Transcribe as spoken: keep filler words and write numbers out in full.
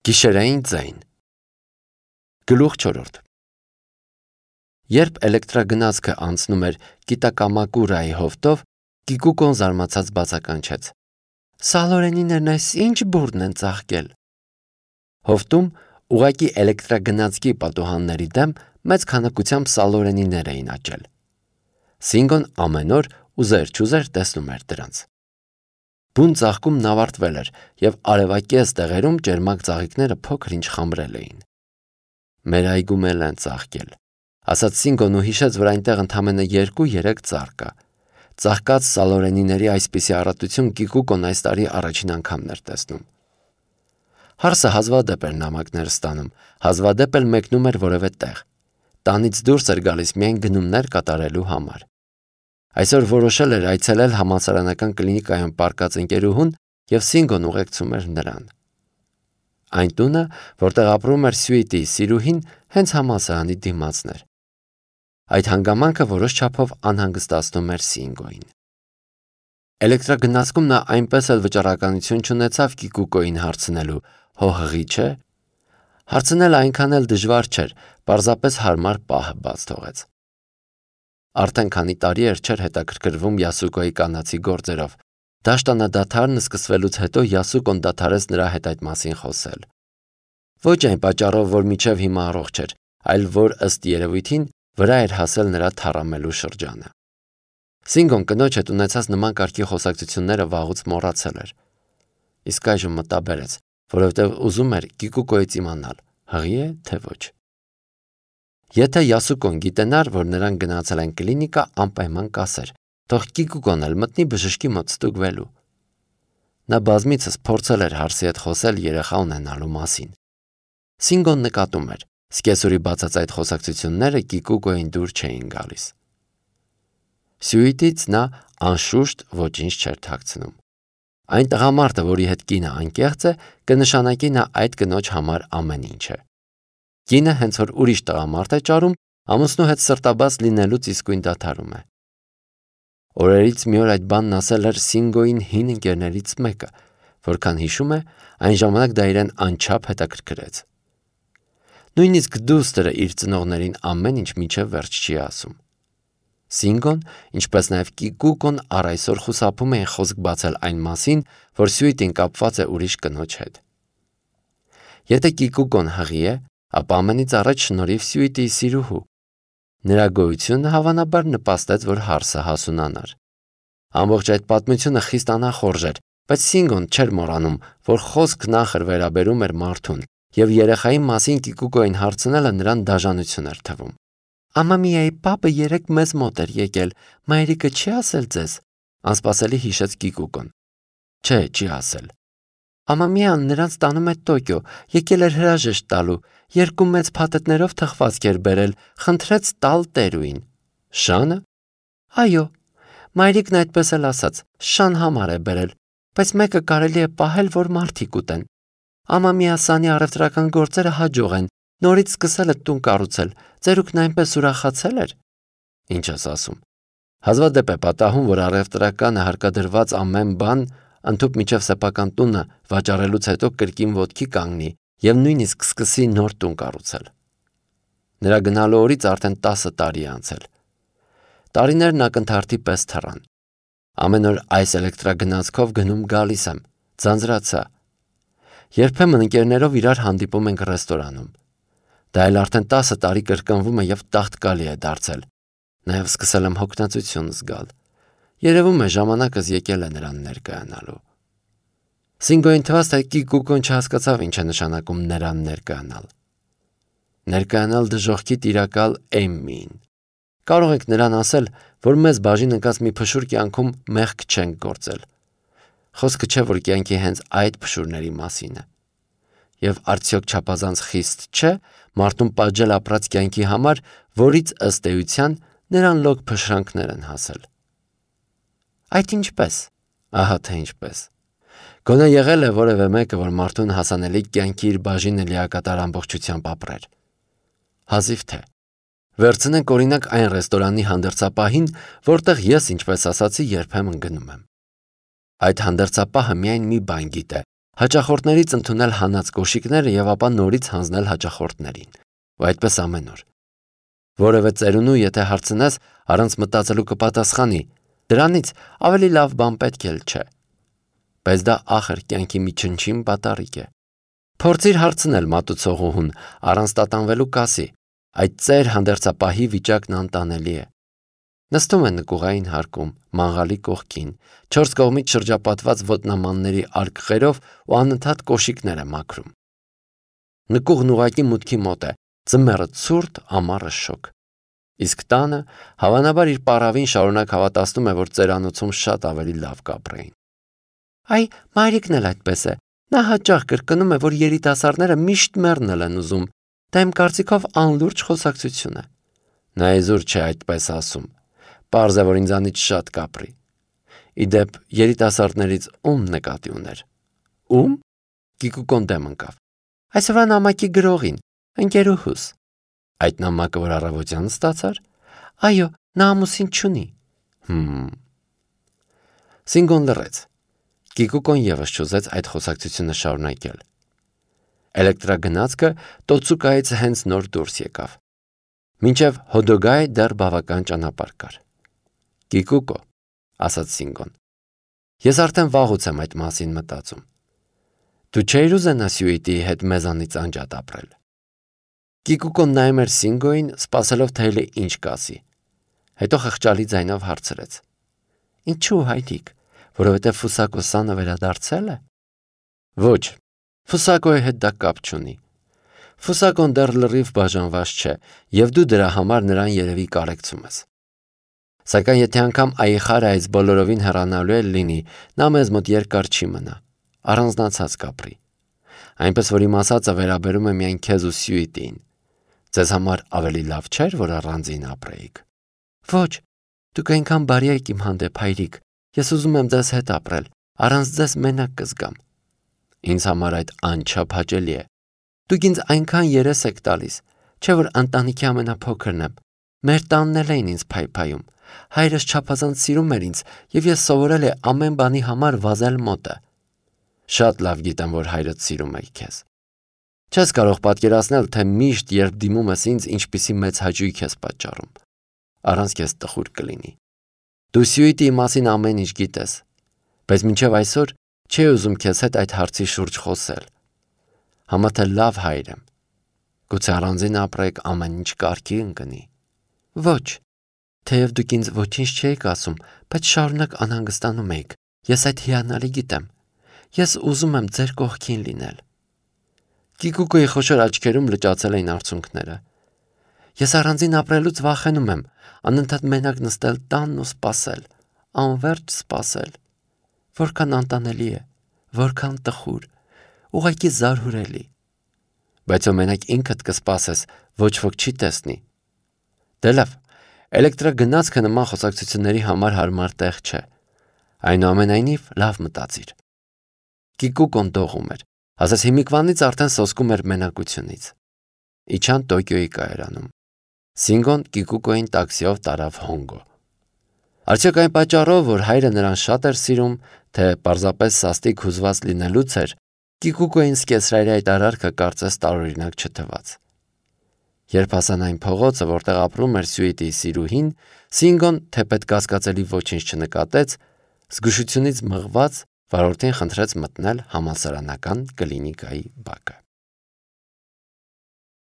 Գիշերային ձայն։ Գլուխ չորրորդ։ Երբ էլեկտրագնացքը անցնում էր Կիտակամակուրայի հովտով, Կիկուկոն զարմացած բացականչեց. «Սալորենիներն այս ինչ բուրդն են ծաղկել»։ Հովտում ուղղակի էլեկտրագնացքի պատուհանների դեմ մեծ քանակությամբ սալորենիներ էին աճել։ Սինգոն ամեն օր ուզեր-չուզեր տեսնում էր դրանց։ Բուն ծաղկումն ավարտվել էր, և արևակեզ տեղերում ճերմակ ծաղիկները փոքր-ինչ խամրել էին։ «Մեր այգում էլ են ծաղկել», ասաց Սինգոն ու հիշեց, որ այնտեղ ընդամենը երկու-երեք ծառ կա։ Ծաղկած սալորենիների այսպիսի առատություն Կիկուկոն այս տարի առաջին անգամն էր տեսնում։ Հարսը հազվադեպ էր նամակներ ստանում, հազվադեպ էլ մեկնում էր որևէ տեղ։ Տանից դուրս էր գալիս միայն գնումներ կատարելու համար։ Այսօր որոշել էր այցելել համալսարանական կլինիկայում պառկած ընկերուհուն, և Սինգոն ուղեկցում էր նրան։ Այն տունը, որտեղ ապրում էր Սյուիտիի սիրուհին, հենց համալսարանի դիմացն էր։ Այդ հանգամանքը որոշ չափով անհանգստացնում էր Սինգոյին։ Էլեկտրագնացքում նա այնպես էլ վճռականություն չունեցավ Կիկուկոյին հարցնելու՝ հո հղի՞ չէ։ Հարցնելը այնքան էլ դժվար չէր, պարզապես հարմար պահը բաց թողեց։ Արդեն քանի տարի էր չէր հետաքրքրվում Յասուկոյի կանացի գործերով։ Դաշտանադադարն սկսվելուց հետո Յասուկոն դադարեց նրա հետ այդ մասին խոսել։ Ոչ այն պատճառով, որ մինչև հիմա առողջ էր, այլ որ ըստ երևույթին վրա էր հասել նրա թառամելու շրջանը։ Սինգոն կնոջ հետ ունեցած նման կարգի խոսակցությունները վաղուց մոռացել էր։ Իսկ այժմ մտաբերեց, որովհետև ուզում էր Կիկուկոյից իմանալ՝ հղի՞ է, թե ոչ։ Եթե Յասուկոն գիտենար, որ նրանք գնացել են կլինիկա, անպայման կասեր, թող Կիկուկոն էլ մտնի բժշկի մոտ ստուգվելու։ Նա բազմիցս փորձել էր հարսի հետ խոսել երեխա ունենալու մասին։ Սինգոն նկատում էր, սկեսուրի բացած այդ խոսակցությունները Կիկուկոյին դուր չէին գալիս։ Սյուիտից նա անշուշտ ոչինչ չէր թաքցնում։ Այն տղամարդը, որի հետ կինը անկեղծ է, կնշանակի նա այդ կնոջ համար ամեն ինչ է։ Կինը հենց որ ուրիշ տղամարդ է ճարում, ամուսնու հետ սրտաբաց լինելուց իսկույն դադարում է։ Օրերից մի օր այդ բանն ասել էր Սինգոյին հին ընկերներից մեկը, որքան հիշում է, այն ժամանակ դա իրեն անչափ հետաքրքրեց։ Նույնիսկ դուստրը իր ծնողներին ամեն ինչ մինչև վերջ չի ասում։ Սինգոն, ինչպես նաև Կիկուկոն առ այսօր խուսափում էին խոսք բացել այն մասին, որ Սյուիտին կապված է ուրիշ կնոջ հետ։ Եթե Կիկուկոն հղի է, ապա ամենից առաջ շնորհիվ Սյուիտիի սիրուհու։ Նրա գոյությունը հավանաբար նպաստեց, որ հարսը հասունանար։ Ամբողջ այդ պատմությունը խիստ անախորժ էր, բայց Սինգոն չէր մոռանում, որ խոսք նախր վերաբերում էր մարդուն, և երեխայի մասին Կիկուկոյին հարցնելը նրան դաժանություն էր թվում։ «Ամամիայի պապը երեկ մեզ մոտ էր եկել, մայրիկը չի ասել ձեզ», անսպասելի հիշեց Կիկուկոն։ Չէ, չի ասել։ «Ամամիան նրանց տանում է Տոկիո, եկել էր հրաժեշտ տալու, երկու մեծ փաթեթներով թխվածք էր բերել, խնդրեց տալ տերուին»։ Շա՞նը։ Այո, մայրիկն այդպես էլ ասաց, շան համար է բերել, բայց մեկը կարելի է պահել, որ մարդիկ ուտեն։ Ամամիա Սանի առևտրական գործերը հաջող են, նորից սկսել է տուն կառուցել, ծերուկն այնպես ուրախացել էր։ Ինչ ես ասում։ Հազվադեպ է պատահում, որ առևտրականը հարկադրված ամեն բան ընդհուպ մինչև սեփական տունը վաճառելուց հետո կրկին ոտքի կանգնի և նույնիսկ սկսի նոր տուն կառուցել։ Նրա գնալու օրից արդեն տասը տարի է անցել։ Տարիներն ակնթարթի պես թռան։ Ամեն օր այս էլեկտրագնացքով գնում գալիս եմ, ձանձրացա։ Երբեմն ընկերներով իրար հանդիպում ենք ռեստորանում։ Դա էլ արդեն տասը տարի կրկնվում է և տաղտկալի է դարձել։ Նաև սկսել եմ հոգնածություն զգալ։ Երևում է ժամանակս եկել է նրան ներկայանալու։ Սինգոյին թվաց, թե Կիկուկոն չհասկացավ ինչ է նշանակում նրան ներկայանալ։ Ներկայանալ դժոխքի տիրակալ Էմմիին։ Կարող ենք նրան ասել, որ մեզ բաժին ընկած մի փշուր կյանքում մեղք չենք գործել։ Խոսքը չէ, որ կյանքի հենց այդ փշուրների մասին է։ Եվ արդյոք չափազանց խիստ չէ մարդուն պատժել ապրած կյանքի համար, որից ըստ էության նրան լոկ փշրանքներ են հասել։ Այդ ինչպես։ Ահա թե ինչպես։ Գոնե եղել է որևէ մեկը, որ մարդուն հասանելի կյանքի իր բաժինը լիակատար ամբողջությամբ ապրեր։ Հազիվ թե։ Վերցնենք օրինակ այն ռեստորանի հանդերձապահին, որտեղ ես, ինչպես ասացի, երբեմն գնում եմ։ Այդ հանդերձապահը միայն մի բան գիտե, հաճախորդներից ընդունել հանած կոշիկները եւ ապա նորից հանձնել հաճախորդներին, ու այդպես ամեն օր։ Որևէ ծերունու, եթե հարցնես, առանց մտածելու կպատասխանի. դրանից ավելի լավ բան պետք էլ չէ։ Բայց դա ախր կյանքի մի չնչին պատառիկ է։ Փորձիր հարցնել մատուցողուհուն, առանց տատանվելու կասի. այդ ծեր հանդերձապահի վիճակն անտանելի է։ Նստում է նկուղային հարկում, մանղալի կողքին, չորս կողմից շրջապատված ոտնամանների արկղերով ու անընդհատ կոշիկներ է մաքրում։ Նկուղն ուղղակի մուտքի մոտ է, ձմեռը ցուրտ, ամառը շոգ։ Իսկ տանը հավանաբար իր պառավին շարունակ հավատացնում է, որ ծերանոցում շատ ավելի լավ կապրեին։ Այ, մայրիկն էլ այդպես է։ Նա հաճախ կրկնում է, որ երիտասարդները միշտ մեռնել են ուզում։ Դա իմ կարծիքով անլուրջ խոսակցություն է։ Նա իզուր չէ այդպես ասում։ Պարզ է, որ ինձանից շատ կապրի։ Իդեպ, երիտասարդներից ում նկատի ուներ։ Ում? Կիկուկոն դեմ ընկավ։ Այսօրվա նամակի գրողին, ընկերուհուս։ Այդ նամակը, որ առավոտյան ստացար։ Այո, նա ամուսին չունի։ Հմ։ Սինգոն լռեց։ Կիկուկոն եւս չուզեց այդ խոսակցությունը շարունակել։ Էլեկտրագնացքը Տոցուկայից հենց նոր դուրս եկավ։ Մինչև Հոդոգայ դեռ բավական ճանապարհ կար։ Կիկուկո, ասաց Սինգոն, ես արդեն վաղուց եմ այդ մասին մտածում։ Դու չէիր ուզենա Սյուիտիի հետ մեզանից անջատ ապրել։ Կիկուկոն նայում էր Սինգոյին, սպասելով թե էլի ինչ կասի։ Հետո խղճալի ձայնով հարցրեց. Ինչու հայրիկ, որովհետև Ֆուսակո-սանը վերադարձել է։ Ոչ, Ֆուսակոյի հետ դա կապ չունի։ Ֆուսակոն դեռ լրիվ բաժանված չէ, եւ դու դրա համար նրան երևի կարեկցում ես։ Սակայն եթե անգամ Այխարը այս բոլորովին հեռանալու է լինի, նա մեզ մոտ երկար չի մնա, առանձնացած կապրի։ Այնպես որ իմ ասածը վերաբերում է միայն քեզ ու Սյուիտին։ Ձեզ համար ավելի լավ չէր, որ առանձին ապրեիք։ Ոչ, դուք այնքան բարի եք իմ հանդեպ, հայրիկ։ Ես ուզում եմ ձեզ հետ ապրել, առանց ձեզ մենակ կզգամ։ Ինձ համար այդ անչափ հաճելի է։ Դուք ինձ այնքան երես եք տալիս, չէ որ ընտանիքի ամենափոքրն եմ։ Մեր տանն էլ էին ինձ փայփայում։ Հայրս չափազանց սիրում էր ինձ, եւ ես սովորել եմ ամեն բանի համար վազել մոտը։ Շատ լավ գիտեմ, որ հայրդ սիրում է քեզ։ Չես կարող պատկերացնել, թե միշտ երբ դիմում ես ինձ, ինչպիսի մեծ հաճույք ես պատճառում։ Առանց քեզ տխուր կլինի։ Դու Սյուիտիի մասին ամեն ինչ գիտես, բայց մինչև այսօր չի ուզում քեզ հետ այդ հարցի շուրջ խոսել։ Համա թե լավ հայր եմ։ Գուցե առանձին ապրեք, ամեն ինչ կարգի ընկնի։ Ոչ, թեև դուք ինձ ոչինչ չէիք ասում, բայց շարունակ անհանգստանում եք։ Ես այդ հիանալի գիտեմ։ Ես ուզում եմ ձեր կողքին լինել։ Կիկուկոյի խոշոր աչքերում լճացել էին արցունքները։ Ես առանձին ապրելուց վախենում եմ, անընդհատ մենակ նստել տանն ու սպասել, անverջ սպասել։ Որքան անտանելի է, որքան տխուր, ուղղակի զարհուրելի։ Բայց ո մենակ ինքդ կսպասես, ոչ ոք չի տեսնի։ Դե լավ, էլեկտրագնացքը նման խոսակցությունների համար հարմար տեղ չէ։ Այնուամենայնիվ լավ մտածիր։ Կիկուկոն դողում էր, ասես հիմիկվանից արդեն սոսկում էր մենակությունից։ Իջան Տոկիոյի կայարանում։ Սինգոն Կիկուկոյին տաքսիով տարավ Հոնգո։ Արդյոք այն պատճառով, որ հայրը նրան շատ էր սիրում, թե պարզապես սաստիկ հուզված լինելուց էր, Կիկուկոյին սկեսրայրի այդ արարքը կարծես տարօրինակ չթվաց։ Երբ հասան այն փողոցը, որտեղ ապրում էր Սյուիտիի սիրուհին, Սինգոն թեպետ կասկածելի ոչինչ չնկատեց, զգուշությունից մղված վարորդին խնդրեց մտնել համալսարանական կլինիկայի բակը։